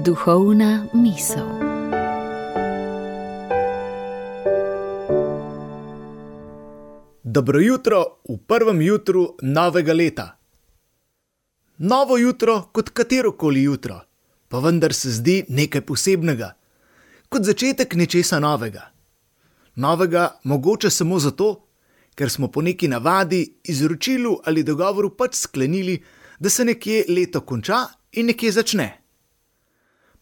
Duhovna misel. Dobro jutro v prvem jutru novega leta. Novo jutro kot katerokoli jutro, pa vendar se zdi nekaj posebnega, kot začetek nečesa novega. Novega mogoče samo zato, ker smo po neki navadi, izročilu ali dogovoru pač sklenili, da se nekje leto konča in nekje začne.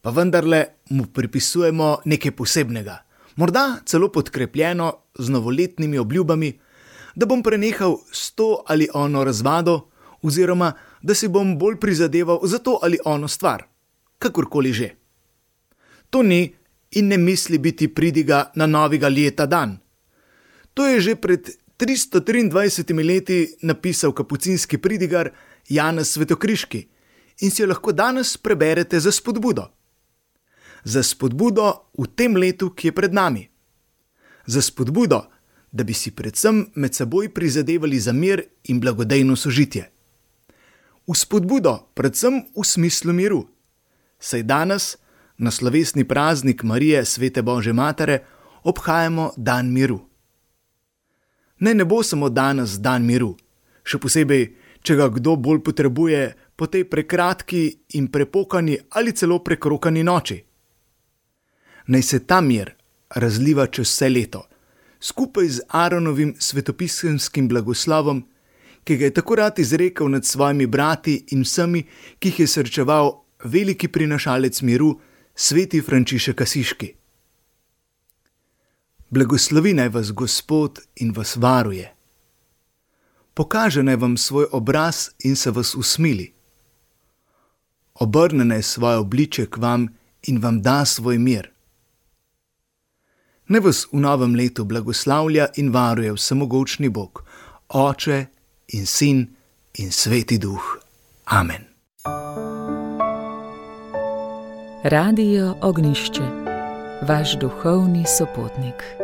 Pa vendarle mu pripisujemo nekaj posebnega, morda celo podkrepljeno z novoletnimi obljubami, da bom prenehal s to ali ono razvado, oziroma da si bom bolj prizadeval za to ali ono stvar, kakorkoli že. To ni in ne misli biti pridiga na novega leta dan. To je že pred 323 leti napisal kapucinski pridigar Janez Svetokriški in si jo lahko danes preberete za spodbudo. Za spodbudo v tem letu, ki je pred nami. Za spodbudo, da bi si predvsem med seboj prizadevali za mir in blagodejno sožitje. V spodbudo predvsem v smislu miru, saj danes, na slovesni praznik Marije Svete Božje Matere, obhajamo dan miru. Ne bo samo danes dan miru, še posebej, če ga kdo bolj potrebuje po tej prekratki in prepokani ali celo prekrokani noči. Naj se ta mir razliva čez vse leto, skupaj z Aaronovim svetopisemskim blagoslovom, ki ga je tako rad izrekel nad svojimi brati in vsemi, ki jih je srečeval veliki prinašalec miru, sveti Frančišek Asiški. Blagoslovi naj vas Gospod in vas varuje. Pokaže naj vam svoj obraz in se vas usmili. Obrne naj svoje obličje k vam in vam da svoj mir. Naj vas v novem letu blagoslavlja in varuje vsemogočni Bog, Oče in Sin in Sveti Duh. Amen. Radio Ognjišče, vaš duhovni sopotnik.